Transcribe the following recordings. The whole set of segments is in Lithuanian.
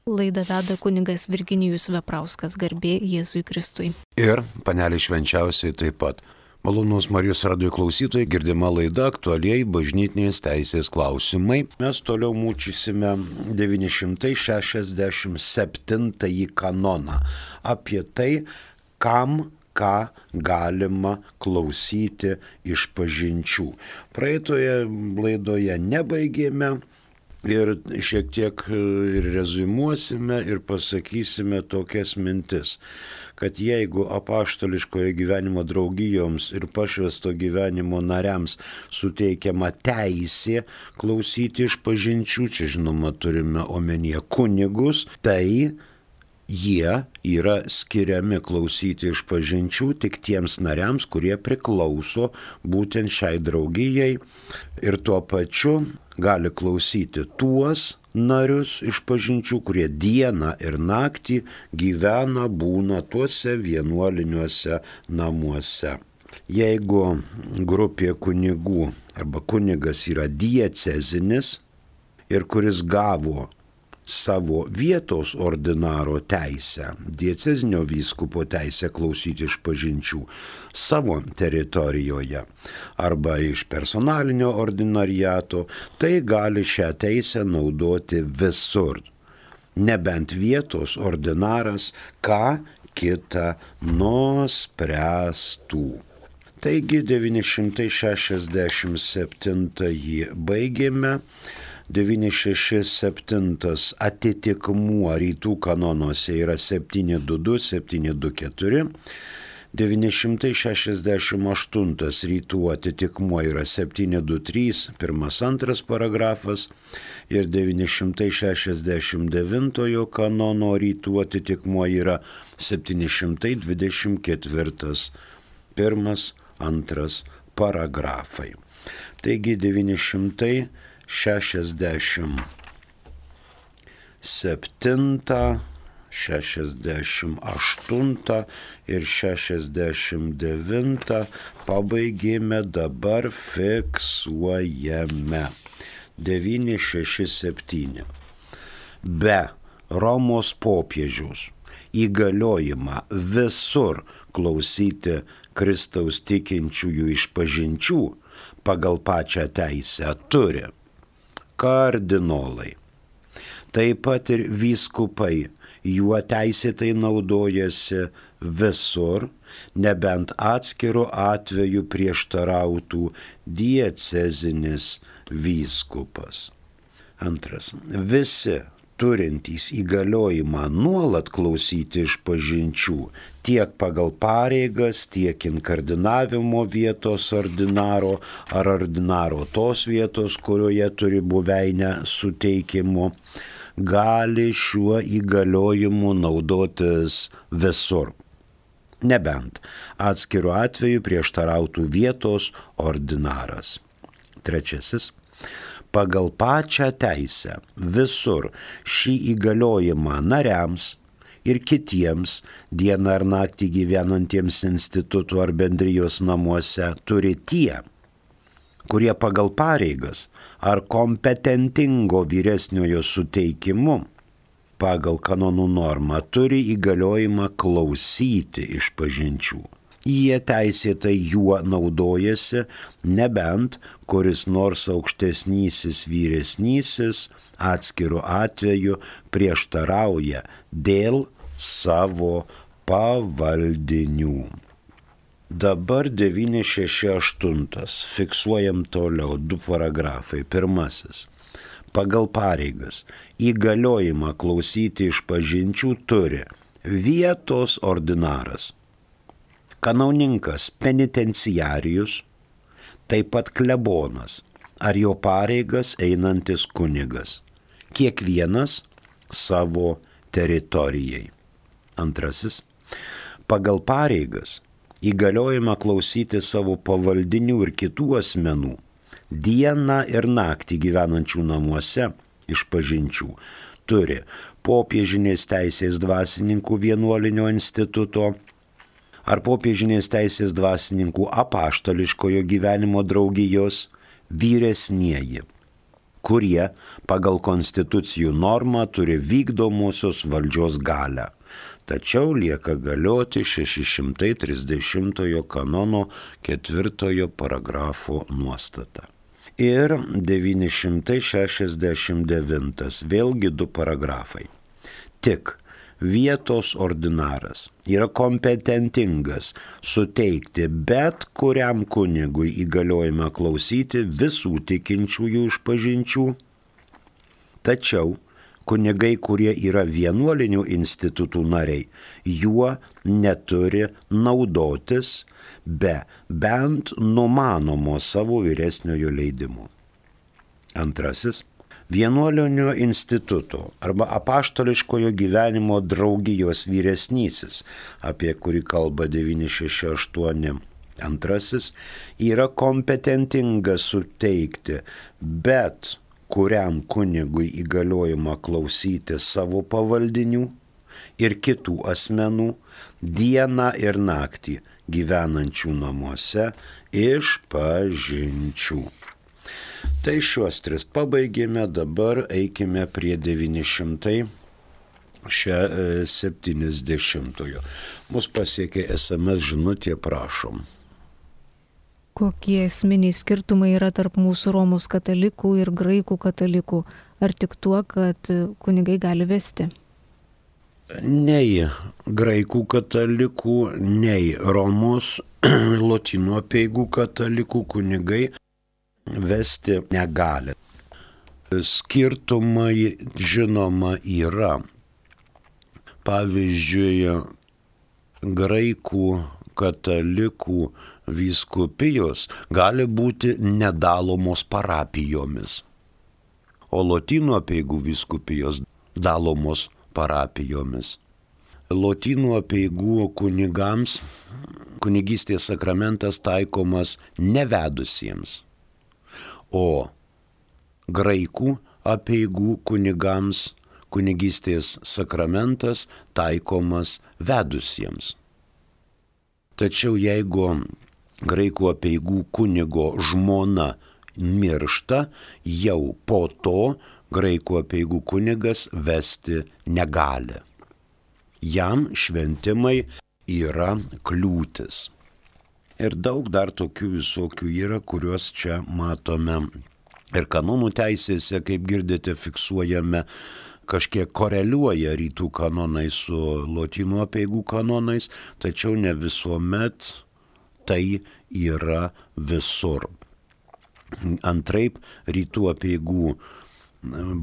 Laidą veda kunigas Virginijus Veprauskas, garbė Jėzui Kristui. Ir panelė švenčiausiai taip pat. Malonūs Marijos radijo klausytojai, girdima laida aktualiai bažnytinės teisės klausimai. Mes toliau mūčysime 967 kanoną apie tai, kam ką galima klausyti išpažinčių. Praeitoje laidoje nebaigėme ir šiek tiek ir reziumuosime ir pasakysime tokias mintis, kad jeigu apaštališkojo gyvenimo draugijoms ir pašvęsto gyvenimo nariams suteikiama teisė klausyti išpažinčių, čia žinoma turime omenyje kunigus, tai jie yra skiriami klausyti išpažinčių tik tiems nariams, kurie priklauso būtent šiai draugijai ir tuo pačiu gali klausyti tuos narius išpažinčių, kurie dieną ir naktį gyvena, būna tuose vienuoliniuose namuose. Jeigu grupė kunigų arba kunigas yra diecezinis ir kuris gavo savo vietos ordinaro teisę, diecezinio vyskupo teisę klausyti išpažinčių savo teritorijoje arba iš personalinio ordinariato, tai gali šią teisę naudoti visur, nebent vietos ordinaras ką kitą nuspręstų. Taigi 967 baigėme. 967 atitikmuo rytų kanonuose yra 722, 724, 968 rytų atitikmuo yra 723, 1-2 paragrafas ir 969 kanono rytų atitikmuo yra 724, 1-2 paragrafai. Taigi 967 68 ir 69 pabaigėme, dabar fiksuojame. 967. Be Romos popiežiaus įgaliojimą visur klausyti Kristaus tikinčiųjų išpažinčių pagal pačią teisę turi kardinolai. Taip pat ir vyskupai juo teisėtai naudojasi visur, nebent atskiru atveju prieštarautų diecezinis vyskupas. Antras. Visi turintys įgaliojimą nuolat klausyti išpažinčių tiek pagal pareigas, tiek inkardinavimo vietos ordinaro ar ordinaro tos vietos, kurioje turi buveinę suteikimu, gali šiuo įgaliojimu naudotis visur. Nebent atskiru atveju prieštarautų vietos ordinaras. Trečiasis. Pagal pačią teisę visur šį įgaliojimą nariams ir kitiems dieną ar naktį gyvenantiems institutų ar bendrijos namuose turi tie, kurie pagal pareigas ar kompetentingo vyresniojo suteikimu pagal kanonų normą turi įgaliojimą klausyti išpažinčių. Jie teisėtai juo naudojasi, nebent kuris nors aukštesnysis vyresnysis atskiru atveju prieštarauja dėl savo pavaldinių. Dabar 968. Fiksuojam toliau 2 paragrafai. Pirmasis. Pagal pareigas įgaliojimą klausyti išpažinčių turi vietos ordinaras, kanauninkas penitenciarijus, taip pat klebonas ar jo pareigas einantis kunigas, kiekvienas savo teritorijai. Antrasis. Pagal pareigas įgaliojimą klausyti savo pavaldinių ir kitų asmenų dieną ir naktį gyvenančių namuose išpažinčių turi popiežinės teisės dvasininkų vienuolinio instituto ar popiežinės teisės dvasininkų apaštališkojo gyvenimo draugijos vyresnieji, kurie pagal konstitucijų normą turi vykdomosios valdžios galią. Tačiau lieka galioti 630 kanono 4 paragrafo nuostata. Ir 969, vėlgi 2 paragrafai. Tik vietos ordinaras yra kompetentingas suteikti bet kuriam kunigui įgaliojimą klausyti visų tikinčiųjų išpažinčių, tačiau kunigai, kurie yra vienuolinių institutų nariai, juo neturi naudotis be bent numanomo savo vyresniojo leidimo. Antrasis. Vienuolinio instituto arba apaštališkojo gyvenimo draugijos vyresnysis, apie kurį kalba 968. Antrasis yra kompetentingas suteikti bet kuriam kunigui įgaliojimą klausyti savo pavaldinių ir kitų asmenų dieną ir naktį gyvenančių namuose išpažinčių. Tai šiuos 3 pabaigėme, dabar eikime prie 970. Mus pasiekė SMS žinutė, prašom. Kokie esminiai skirtumai yra tarp mūsų Romos katalikų ir graikų katalikų? Ar tik tuo, kad kunigai gali vesti? Nei graikų katalikų, nei Romos lotynų apeigų katalikų kunigai vesti negali. Skirtumai žinoma yra. Pavyzdžiui, graikų katalikų vyskupijos gali būti nedalomos parapijomis, o lotynų apeigų vyskupijos dalomos parapijomis. Lotynų apeigų kunigams kunigystės sakramentas taikomas nevedusiems, o graikų apeigų kunigams kunigystės sakramentas taikomas vedusiems. Tačiau jeigu graikų apeigų kunigo žmona miršta, jau po to graikų apeigų kunigas vesti negali. Jam šventimai yra kliūtis. Ir daug dar tokių visokių yra, kuriuos čia matome. Ir kanonų teisėse, kaip girdite, fiksuojame, kažkiek koreliuoja rytų kanonai su lotynų apeigų kanonais, tačiau ne visuomet tai yra visur. Antraip, rytų apeigų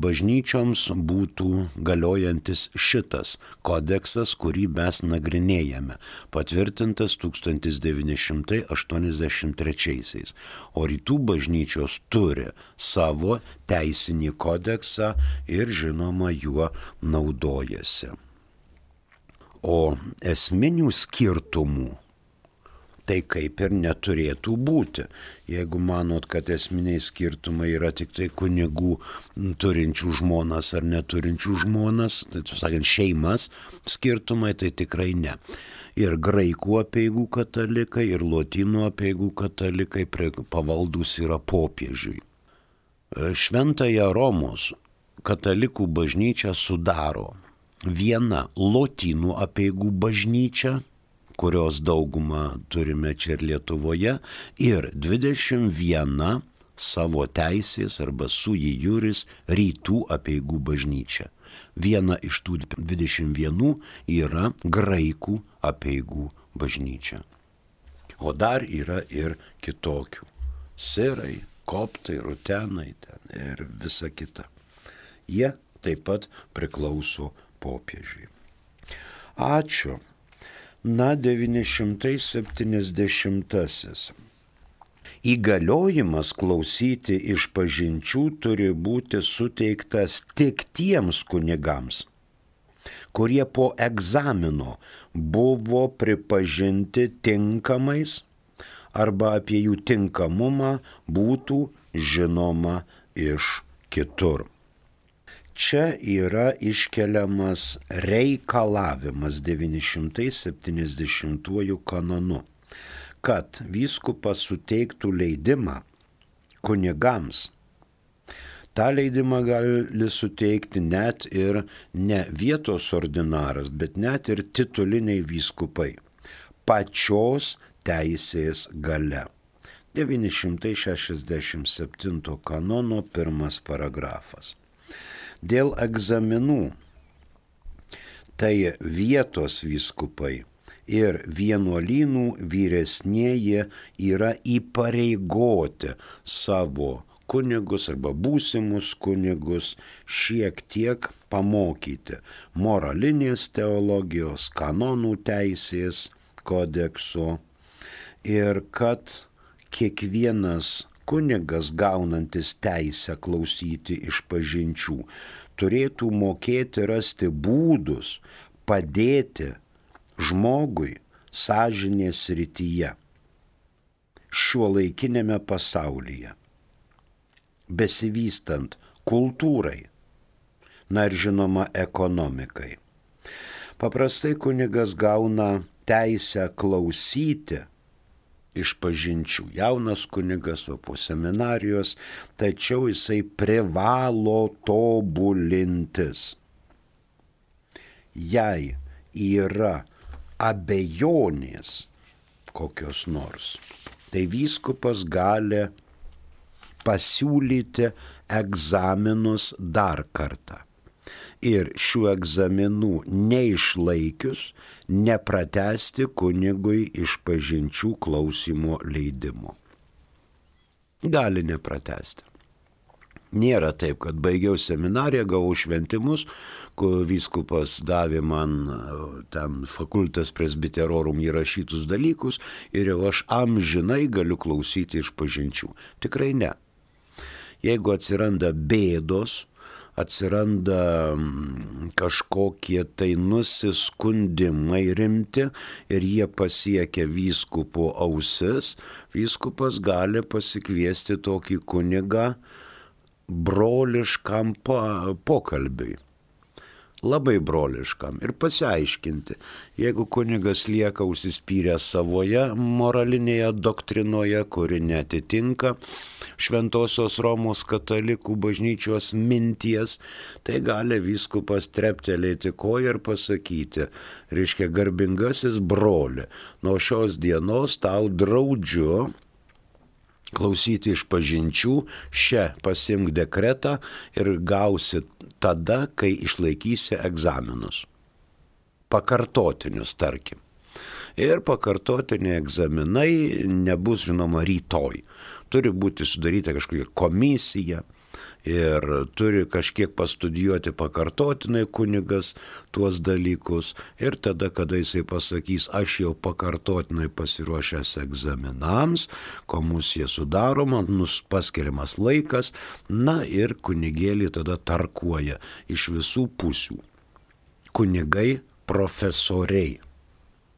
bažnyčioms būtų galiojantis šitas kodeksas, kurį mes nagrinėjame, patvirtintas 1983. O rytų bažnyčios turi savo teisinį kodeksą ir žinoma juo naudojasi. O esminių skirtumų tai kaip ir neturėtų būti. Jeigu manot, kad esminiai skirtumai yra tik tai kunigų turinčių žmonas ar neturinčių žmonas, tai sakant, šeimas skirtumai, tai tikrai ne. Ir graikų apeigų katalikai, ir lotynų apeigų katalikai pavaldus yra popiežiui. Šventąją Romos katalikų bažnyčią sudaro viena lotynų apeigų bažnyčia, kurios daugumą turime čia ir Lietuvoje, ir 21 savo teisės arba sui juris rytų apeigų bažnyčia. Viena iš tų 21 yra graikų apeigų bažnyčia. O dar yra ir kitokių. Sirai, koptai, rutenai ir visa kita. Jie taip pat priklauso popiežiui. Ačiū. Na, 970. Įgaliojimas klausyti išpažinčių turi būti suteiktas tik tiems kunigams, kurie po egzamino buvo pripažinti tinkamais arba apie jų tinkamumą būtų žinoma iš kitur. Čia yra iškeliamas reikalavimas 970 kanonu, kad vyskupas suteiktų leidimą kunigams Ta leidimą gali suteikti net ir ne vietos ordinaras, bet net ir tituliniai vyskupai. Pačios teisės gale. 967 kanono 1 paragrafas. Dėl egzaminų tai vietos vyskupai ir vienuolynų vyresnieji yra įpareigoti savo kunigus arba būsimus kunigus šiek tiek pamokyti moralinės teologijos, kanonų teisės kodekso ir kad kiekvienas kunigas gaunantis teisę klausyti išpažinčių turėtų mokėti rasti būdus padėti žmogui sąžinės srityje šiuolaikinėme pasaulyje, besivystant kultūrai, na ir žinoma ekonomikai. Paprastai kunigas gauna teisę klausyti išpažinčių. Jaunas kunigas po seminarijos, tačiau jisai privalo tobulintis. Jei yra abejonės kokios nors, tai vyskupas gali pasiūlyti egzaminus dar kartą. Ir šių egzaminų neišlaikius nepratęsti kunigui išpažinčių klausymo leidimo. Gali nepratęsti. Nėra taip, kad baigiau seminariją, gavau šventimus, kur vyskupas davė man ten facultas presbyterorum įrašytus dalykus ir jau aš amžinai galiu klausyti išpažinčių. Tikrai ne. Jeigu atsiranda bėdos, atsiranda kažkokie tai nusiskundimai rimti ir jie pasiekia vyskupo ausis, vyskupas gali pasikviesti tokį kunigą broliškam pokalbiui. Labai broliškam ir pasiaiškinti, jeigu kunigas lieka užsispyręs savoje moralinėje doktrinoje, kuri netitinka Šventosios Romos katalikų bažnyčios minties, tai gali vyskupas treptelėti koją ir pasakyti, reiškia garbingasis broli, nuo šios dienos tau draudžiu klausyti išpažinčių, pasiimk dekretą ir gausi tada, kai išlaikysi egzaminus. Pakartotinius, tarkim. Ir pakartotiniai egzaminai nebus, žinoma, rytoj. Turi būti sudaryta kažkokia komisija ir turi kažkiek pastudijuoti pakartotinai kunigas tuos dalykus. Ir tada, kada jisai pasakys, aš jau pakartotinai pasiruošęs egzaminams, komisija sudaroma, paskiriamas laikas, na ir kunigėlį tada tarkuoja iš visų pusių. Kunigai profesoriai,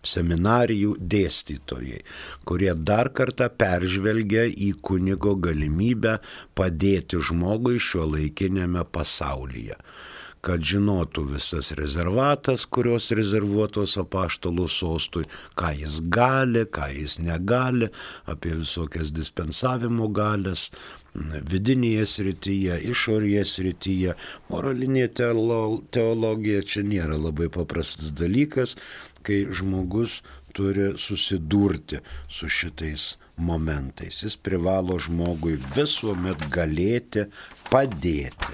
seminarijų dėstytojai, kurie dar kartą peržvelgia į kunigo galimybę padėti žmogui šiuolaikinėme pasaulyje, kad žinotų visas rezervatas, kurios rezervuotos apaštalų sostui, ką jis gali, ką jis negali, apie visokias dispensavimo galės, vidinėje srityje, išorėje srityje. Moralinė teologija čia nėra labai paprastas dalykas, kai žmogus turi susidurti su šitais momentais. Jis privalo žmogui visuomet galėti padėti.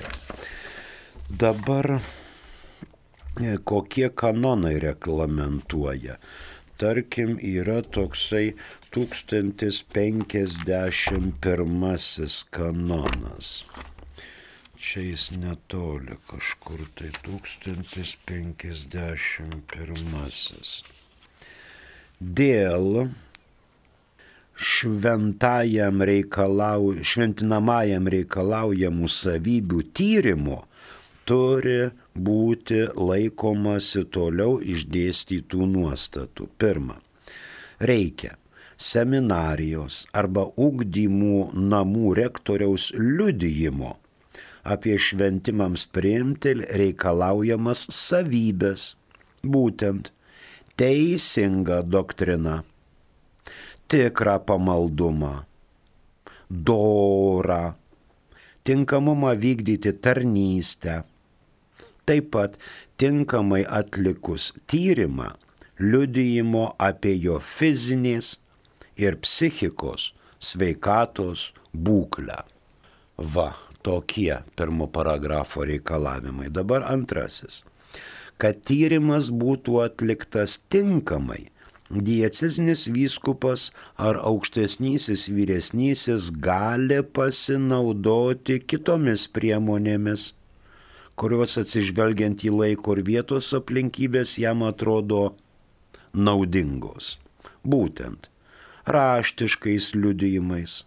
Dabar kokie kanonai reglamentuoja? Tarkim, yra toksai 1051 kanonas. Čia jis netoli kažkur, tai 1051. Dėl šventinamajam reikalaujamų savybių tyrimo turi būti laikomasi toliau išdėstytų nuostatų. Pirma, reikia seminarijos arba ugdymų namų rektoriaus liudijimo apie šventimams priimti reikalaujamas savybės, būtent teisingą doktriną, tikrą pamaldumą, dorą, tinkamumą vykdyti tarnystę. Taip pat tinkamai atlikus tyrimą, liudijimo apie jo fizinės ir psichikos sveikatos būklę. Va, tokie pirmo paragrafo reikalavimai. Dabar antrasis. Kad tyrimas būtų atliktas tinkamai, diecezinis vyskupas ar aukštesnysis vyresnysis gali pasinaudoti kitomis priemonėmis, kurios atsižvelgiant į laiko ir vietos aplinkybės jam atrodo naudingos. Būtent raštiškais liudijimais,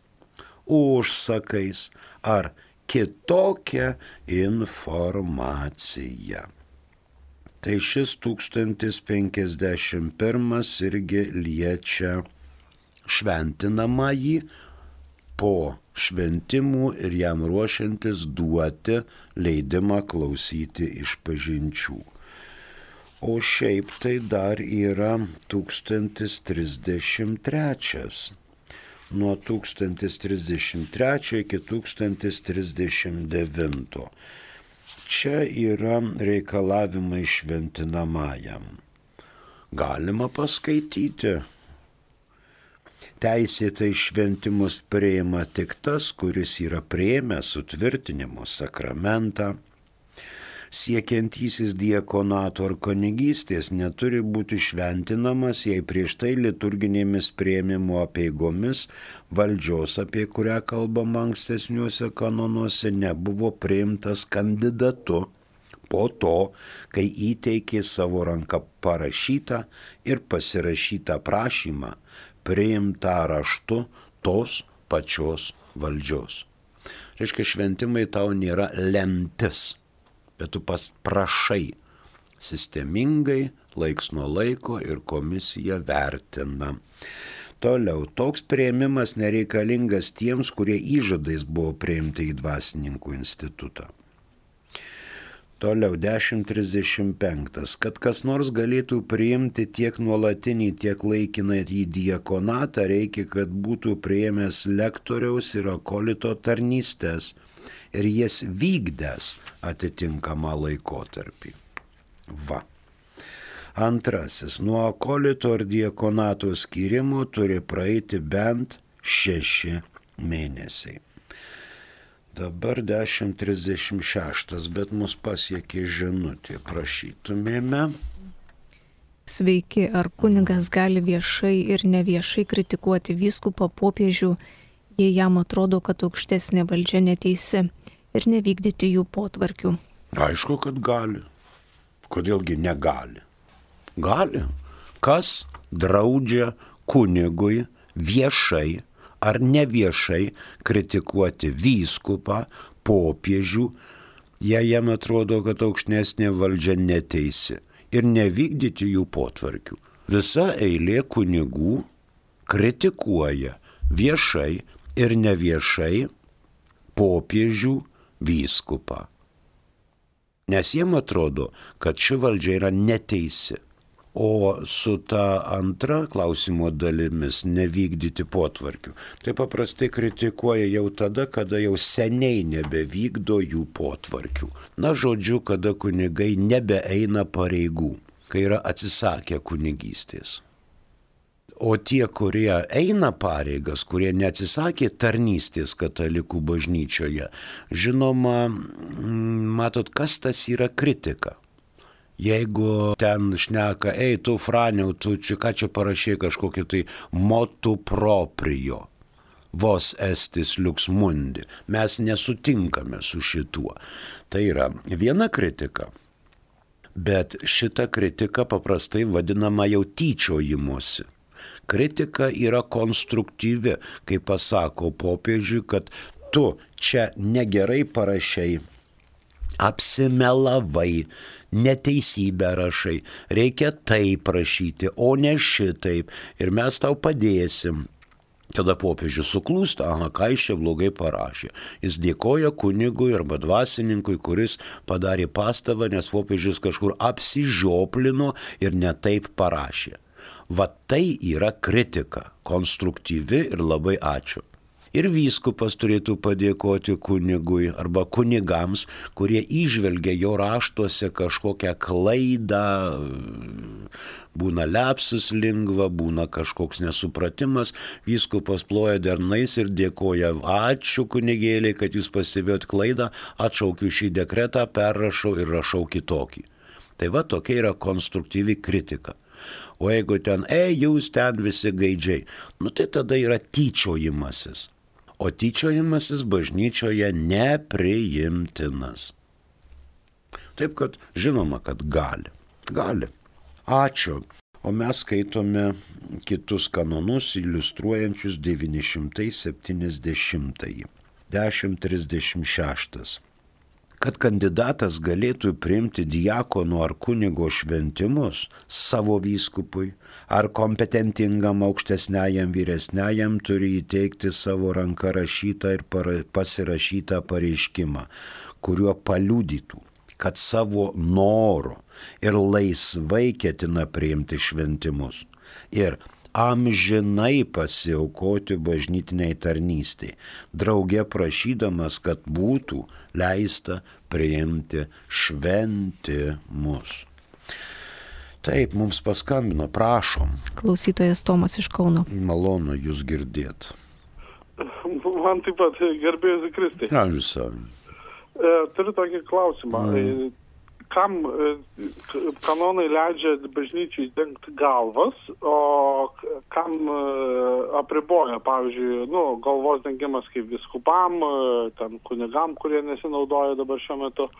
užsakais ar kitokia informacija. Tai šis 1051 irgi liečia šventinamąjį po šventimų ir jam ruošiantis duoti leidimą klausyti išpažinčių. O šiaip tai dar yra 1033. Nuo 1033 iki 1039. Čia yra reikalavimai šventinamajam. Galima paskaityti. Teisėtai šventimus priima tik tas, kuris yra priėmęs sutvirtinimo sakramentą. Siekiantysis diakonato ar kunigystės neturi būti šventinamas, jei prieš tai liturginėmis priėmimo apeigomis valdžios, apie kurią kalbama ankstesniuose kanonuose, nebuvo priimtas kandidatu po to, kai įteikė savo ranką parašytą ir pasirašytą prašymą, priimtą raštu tos pačios valdžios. Reiškia, šventimai tau nėra lemtis, bet tu prašai sistemingai, laiks nuo laiko ir komisija vertina. Toliau, toks priėmimas nereikalingas tiems, kurie įžadais buvo priimti į dvasininkų institutą. Toliau, 1035. Kad kas nors galėtų priimti tiek nuolatinį, tiek laikiną į diakonatą, reikia, kad būtų priėmęs lektoriaus ir akolito tarnystės ir jas vykdęs atitinkamą laikotarpį. Va. Antrasis. Nuo akolito ir diakonato skyrimo turi praeiti bent 6 mėnesiai. Dabar 1036, bet mus pasiekė žinutė. Prašytumėme. Sveiki, ar kunigas gali viešai ir neviešai kritikuoti vyskupą, popiežių, jei jam atrodo, kad aukštesnė valdžia neteisi, ir nevykdyti jų potvarkių? Aišku, kad gali. Kodėlgi negali? Gali. Kas draudžia kunigui viešai ar neviešai kritikuoti vyskupą, popiežių, jei jam atrodo, kad aukštesnė valdžia neteisi, ir nevykdyti jų potvarkių? Visa eilė kunigų kritikuoja viešai ir neviešai popiežių, vyskupą. Nes jiem atrodo, kad ši valdžia yra neteisi. O su ta antra klausimo dalimis nevykdyti potvarkių, tai paprastai kritikuoja jau tada, kada jau seniai nebevykdo jų potvarkių. Na, žodžiu, kada kunigai nebeeina pareigų, kai yra atsisakę kunigystės. O tie, kurie eina pareigas, kurie neatsisakė tarnystės katalikų bažnyčioje, žinoma, matot, kas tas yra kritika. Jeigu ten šneka, tu Franiau, tu ką čia parašė kažkokį tai motu proprio, vos estis lux mundi, mes nesutinkame su šituo. Tai yra viena kritika, bet šita kritika paprastai vadinama jau tyčiojimuosi. Kritika yra konstruktyvi, kai pasako popiežiui, kad tu čia negerai parašai, apsimelavai, neteisybę rašai, reikia taip rašyti, o ne šitaip, ir mes tau padėsim. Tada popiežius suklūsta, ką jis čia blogai parašė. Jis dėkoja kunigui arba dvasininkui, kuris padarė pastabą, nes popiežius kažkur apsižioplino ir ne taip parašė. Va tai yra kritika, konstruktyvi ir labai ačiū. Ir vyskupas turėtų padėkoti kunigui arba kunigams, kurie įžvelgia jo raštuose kažkokią klaidą, būna lapsus lingva, būna kažkoks nesupratimas, vyskupas ploja dernais ir dėkoja, ačiū kunigėliai, kad jūs pastebėjot klaidą, atšaukiu šį dekretą, perrašau ir rašau kitokį. Tai va tokia yra konstruktyvi kritika. O jeigu ten, jūs ten visi gaidžiai, tai tada yra tyčiojimasis. O tyčiojimasis bažnyčioje nepriimtinas. Taip kad žinoma, kad gali. Ačiū. O mes skaitome kitus kanonus iliustruojančius 970. 1036. Kad kandidatas galėtų priimti diakonų ar kunigo šventimus savo vyskupui ar kompetentingam aukštesniajam vyresniajam, turi įteikti savo ranka rašytą ir pasirašytą pareiškimą, kuriuo paliudytų, kad savo noru ir laisvai ketina priimti šventimus ir amžinai pasiaukoti bažnytiniai tarnystei, drauge prašydamas, kad būtų leista priimti šventimus. Taip, mums paskambino, prašom. Klausytojas Tomas iš Kauno. Malonu jūs girdėt. Man taip pat, garbėjusi Kristai. Ačiū. Turiu tokį klausimą. Kam kanonai leidžia bažnyčiai dengti galvas, o kam apriboja, pavyzdžiui, galvos dengimas kaip viskupam, ten kunigam, kurie nesinaudoja dabar šiuo metu,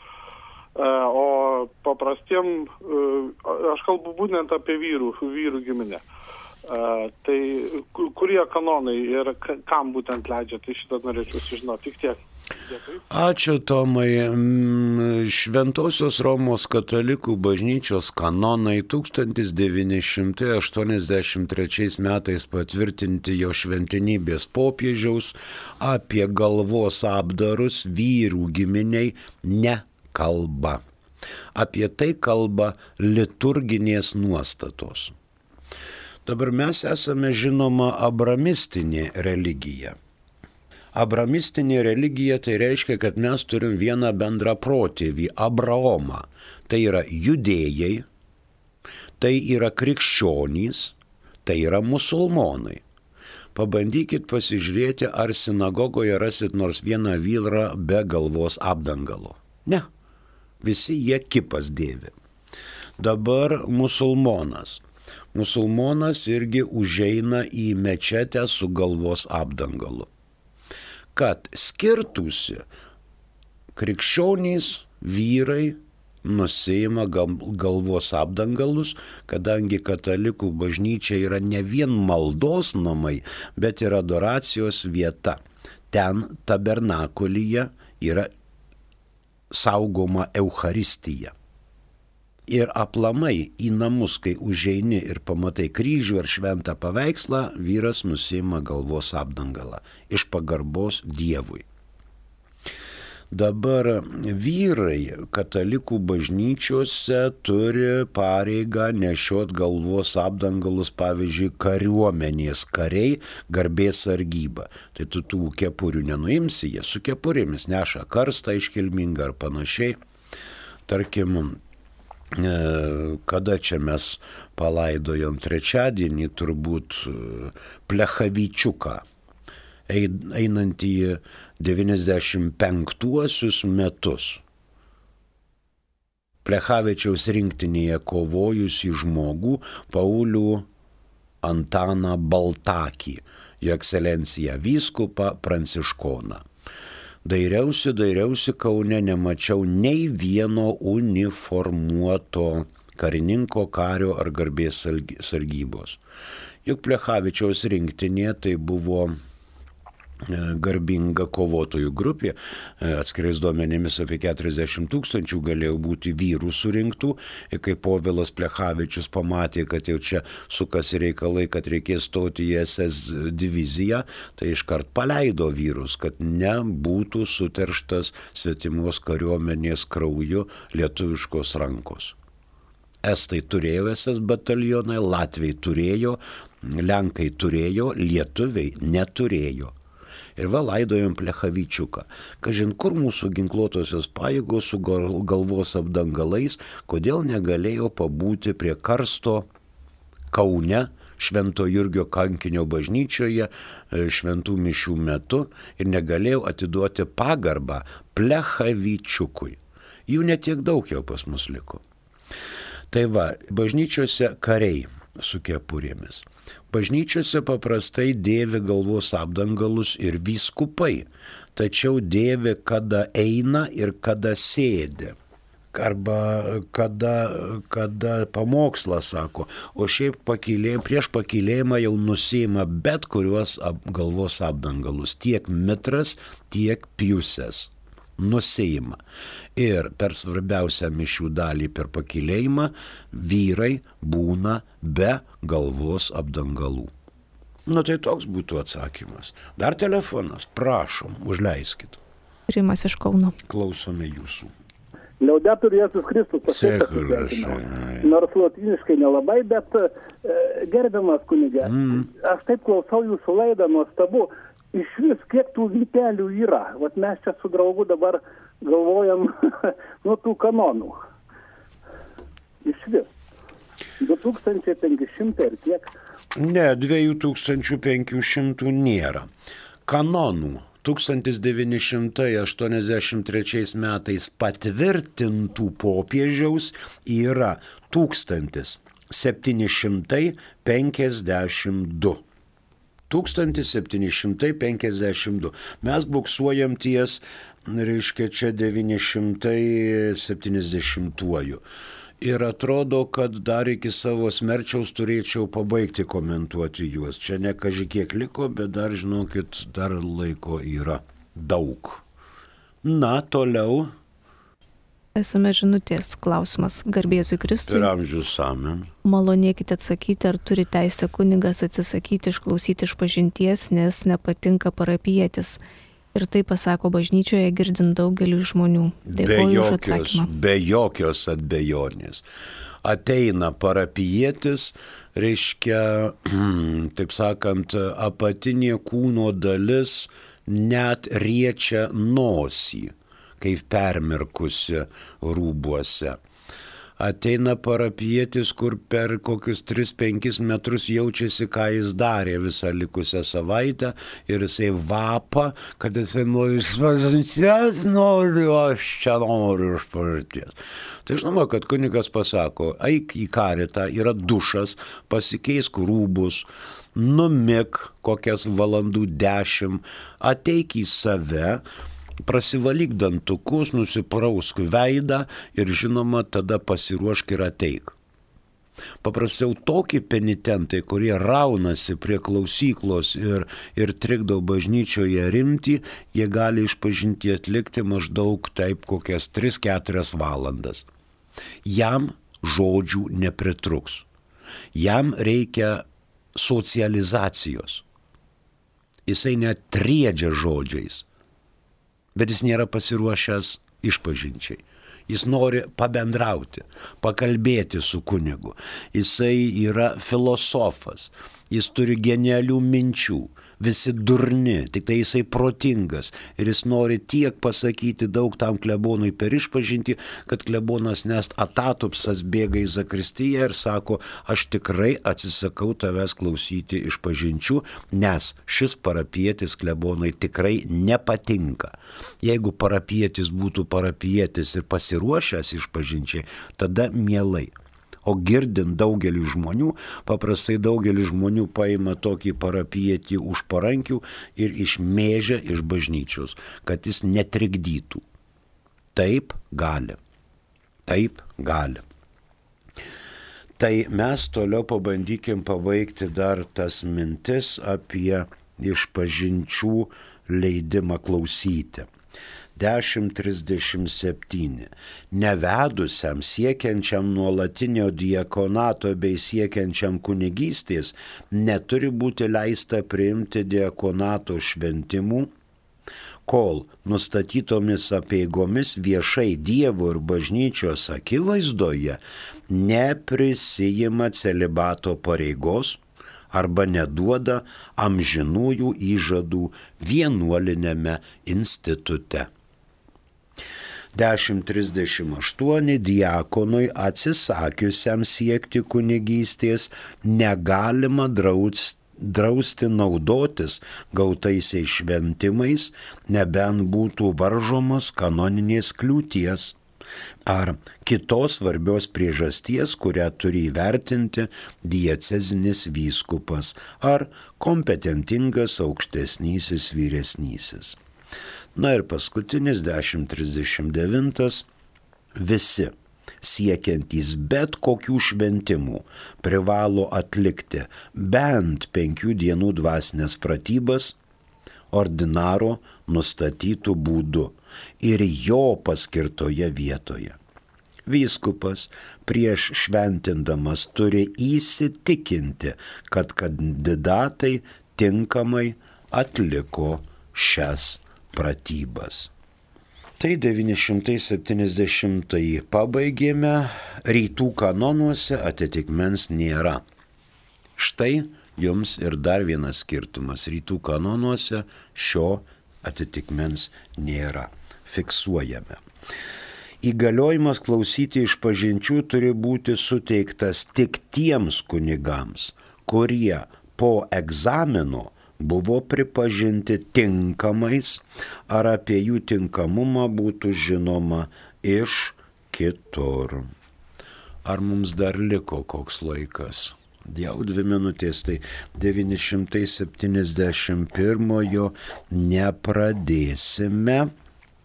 o paprastiem, aš kalbu būtent apie vyrų giminę. Tai kurie kanonai ir kam būtent leidžia, tai šitą norėčiau sužinoti, tik tiek. Ačiū, Tomai. Šventosios Romos katalikų bažnyčios kanonai 1983 metais patvirtinti jo šventenybės popiežiaus apie galvos apdarus vyrų giminiai nekalba. Apie tai kalba liturginės nuostatos. Dabar mes esame žinoma abramistinė religija. Abramistinė religija tai reiškia, kad mes turim vieną bendrą protėvį – Abraomą. Tai yra judėjai, tai yra krikščionys, tai yra musulmonai. Pabandykit pasižiūrėti, ar sinagogoje rasit nors vieną vyrą be galvos apdangalo. Ne, visi jie kipas dėvi. Dabar musulmonas. Musulmonas irgi užeina į mečetę su galvos apdangalu. Kad skirtųsi, krikščionys vyrai nusiima galvos apdangalus, kadangi katalikų bažnyčia yra ne vien maldos namai, bet ir adoracijos vieta. Ten tabernakulyje yra saugoma Eucharistija. Ir aplamai į namus, kai užeini ir pamatai kryžių ar šventą paveikslą, vyras nusiima galvos apdangalą iš pagarbos Dievui. Dabar vyrai katalikų bažnyčiose turi pareigą nešiot galvos apdangalus, pavyzdžiui, kariuomenės kariai, garbės sargyba. Tai tu tų kepurių nenuimsi, jie su kepurėmis neša karstą iškilmingą ar panašiai. Tarkim, kada čia mes palaidojom trečiadienį, turbūt Plechavičiuką, einant į 95 metus. Plechavičiaus rinktinėje kovojusi žmogų Paulių Antaną Baltakį, jo ekscelenciją vyskupą Pranciškoną. Dairiausi Kaune, nemačiau nei vieno uniformuoto karininko, kario ar garbės sargybos. Juk Plechavičiaus rinktinė tai buvo garbinga kovotojų grupė, atskirais duomenimis apie 40 000 galėjo būti vyrų surinktų, ir kai Povilas Plechavičius pamatė, kad jau čia sukasi reikalai, kad reikės stoti į SS diviziją, tai iškart paleido vyrus, kad nebūtų suterštas svetimos kariuomenės krauju lietuviškos rankos. Estai turėjo SS batalionai, latviai turėjo, lenkai turėjo, lietuviai neturėjo. Ir va laidojom Plechavičiuką. Kažin kur mūsų ginkluotosios pajėgos su galvos apdangalais, kodėl negalėjo pabūti prie karsto Kaune, Švento Jurgio kankinio bažnyčioje, šventų mišių metu ir negalėjau atiduoti pagarbą Plechavičiukui. Jų netiek daug jau pas mus liko. Tai va, bažnyčiose kariai su kepurėmis. Bažnyčiose paprastai dėvi galvos apdangalus ir vyskupai, tačiau dėvi kada eina ir kada sėdi. Arba kada pamokslą sako, o šiaip prieš pakylėjimą jau nusiima bet kuriuos galvos apdangalus, tiek mitras, tiek piusės. Nusiima. Ir per svarbiausią mišių dalį per pakylėjimą vyrai būna be galvos apdangalų. Nu tai toks būtų atsakymas. Dar telefonas, prašom, užleiskit. Rimas iš Kauno. Klausome jūsų. Liaudetur Jėzus Kristus. Nors lotyniškai nelabai, bet gerbiamas kunige, aš taip klausau jūsų laidą, nuostabu, iš vis kiek tų vytelių yra. Vat mes čia su draugu dabar galvojam nuo tų kanonų. Iš vis. 2500 ir kiek? Ne, 2500 nėra. Kanonų 1983 metais patvirtintų popiežiaus yra 1752. 1752. Mes buksuojam ties, reiškia, čia 970-uoju. Ir atrodo, kad dar iki savo smerčiaus turėčiau pabaigti komentuoti juos. Čia ne kažkiek liko, bet dar, žinokit, dar laiko yra daug. Na, toliau. Esame žinutės klausimas. Garbėzui Kristui. Ir amžius amen. Malonėkite atsakyti, ar turi teisę kunigas atsisakyti išklausyti išpažinties, nes nepatinka parapietis. Ir tai pasako bažnyčioje girdint daugeliu žmonių. Dėkoju už atsakymą. Be jokios abejonės. Ateina parapietis, reiškia, taip sakant, apatinė kūno dalis net riečia nosį, kaip permirkusi rūbuose. Ateina parapietis, kur per kokius 3-5 metrus jaučiasi, ką jis darė visą likusią savaitę ir jisai vapa, kad jisai nori išpažinties, aš čia noriu išpažinties. Tai žinoma, kad kunigas pasako, eik į karitą, yra dušas, pasikeisk rūbus, numik kokias valandų 10, ateik į save, prasivalyk dantukus, nusiprausk veidą ir žinoma tada pasiruošk ir ateik. Paprasčiau tokie penitentai, kurie raunasi prie klausyklos ir trikdo bažnyčioje rimtį, jie gali išpažinti atlikti maždaug taip kokias 3-4 valandas. Jam žodžių nepritruks. Jam reikia socializacijos. Jisai net triedžia žodžiais. Bet jis nėra pasiruošęs išpažinčiai. Jis nori pabendrauti, pakalbėti su kunigu. Jisai yra filosofas, jis turi genialių minčių, visi durni, tik tai jisai protingas ir jis nori tiek pasakyti daug tam klebonui per išpažinti, kad klebonas nest atatupsas bėga į zakristiją ir sako, aš tikrai atsisakau tavęs klausyti išpažinčių, nes šis parapietis klebonui tikrai nepatinka. Jeigu parapietis būtų parapietis ir pasiruošęs išpažinčiai, tada mielai. O girdint daugelį žmonių, paprastai daugelį žmonių paima tokį parapietį už parankių ir išmėžia iš bažnyčios, kad jis netrikdytų. Taip gali. Taip gali. Tai mes toliau pabandykim pabaigti dar tas mintis apie išpažinčių leidimą klausyti. 10:37. Nevedusiam, siekiančiam nuolatinio diakonato bei siekiančiam kunigystės neturi būti leista priimti diakonato šventimų, kol nustatytomis apeigomis viešai Dievo ir bažnyčios akivaizdoje neprisijima celibato pareigos arba neduoda amžinųjų įžadų vienuolinėme institute. 1038 diakonui atsisakiusiam siekti kunigystės negalima drausti naudotis gautaisiais šventimais, nebent būtų varžomas kanoninės kliūties ar kitos svarbios priežasties, kurią turi įvertinti diecezinis vyskupas ar kompetentingas aukštesnysis vyresnysis. Na ir paskutinis 1039. Visi siekiantys bet kokių šventimų privalo atlikti bent 5 dienų dvasinės pratybas ordinaro nustatytų būdu ir jo paskirtoje vietoje. Vyskupas prieš šventindamas turi įsitikinti, kad kandidatai tinkamai atliko šias pratybas. Tai 970 pabaigėme, rytų kanonuose atitikmens nėra. Štai jums ir dar vienas skirtumas. Rytų kanonuose šio atitikmens nėra. Fiksuojame. Įgaliojimas klausyti išpažinčių turi būti suteiktas tik tiems kunigams, kurie po egzamino buvo pripažinti tinkamais ar apie jų tinkamumą būtų žinoma iš kitur. Ar mums dar liko koks laikas? Jau 2 minutės, tai 971 nepradėsime,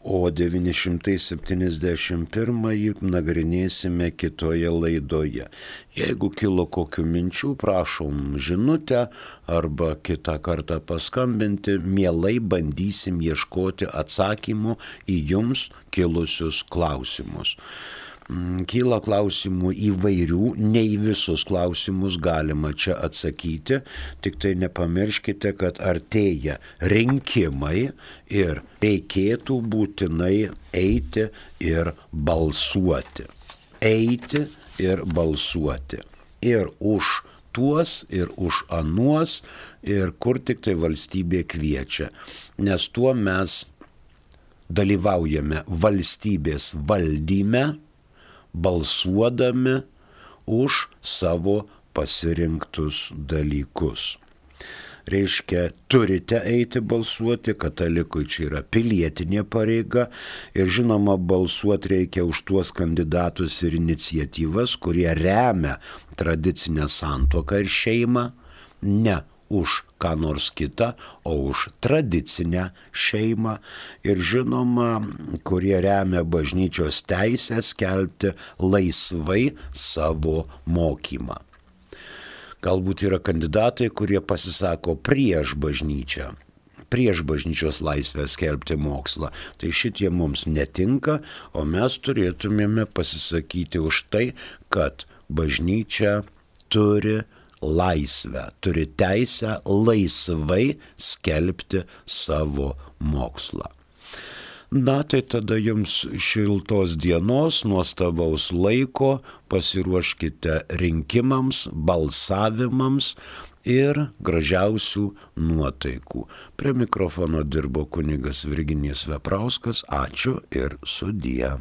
o 971 nagrinėsime kitoje laidoje. Jeigu kilo kokių minčių, prašom žinutę arba kitą kartą paskambinti, mielai bandysim ieškoti atsakymų į jums kilusius klausimus. Kyla klausimų įvairių, ne į visus klausimus galima čia atsakyti, tik tai nepamirškite, kad artėja rinkimai ir reikėtų būtinai eiti ir balsuoti. Eiti ir balsuoti. Ir už tuos, ir už anuos, ir kur tik tai valstybė kviečia. Nes tuo mes dalyvaujame valstybės valdyme, balsuodami už savo pasirinktus dalykus. Reiškia, turite eiti balsuoti, katalikui čia yra pilietinė pareiga ir žinoma, balsuoti reikia už tuos kandidatus ir iniciatyvas, kurie remia tradicinę santuoką ir šeimą, ne už ką nors kitą, o už tradicinę šeimą ir žinoma, kurie remia bažnyčios teisę skelbti laisvai savo mokymą. Galbūt yra kandidatai, kurie pasisako prieš bažnyčią, prieš bažnyčios laisvę skelbti mokslą. Tai šitie mums netinka, o mes turėtumėme pasisakyti už tai, kad bažnyčia turi laisvę, turi teisę laisvai skelbti savo mokslą. Na, tai tada jums šiltos dienos, nuostabaus laiko, pasiruoškite rinkimams, balsavimams ir gražiausių nuotaikų. Prie mikrofono dirbo kunigas Virginijus Veprauskas. Ačiū ir sudie.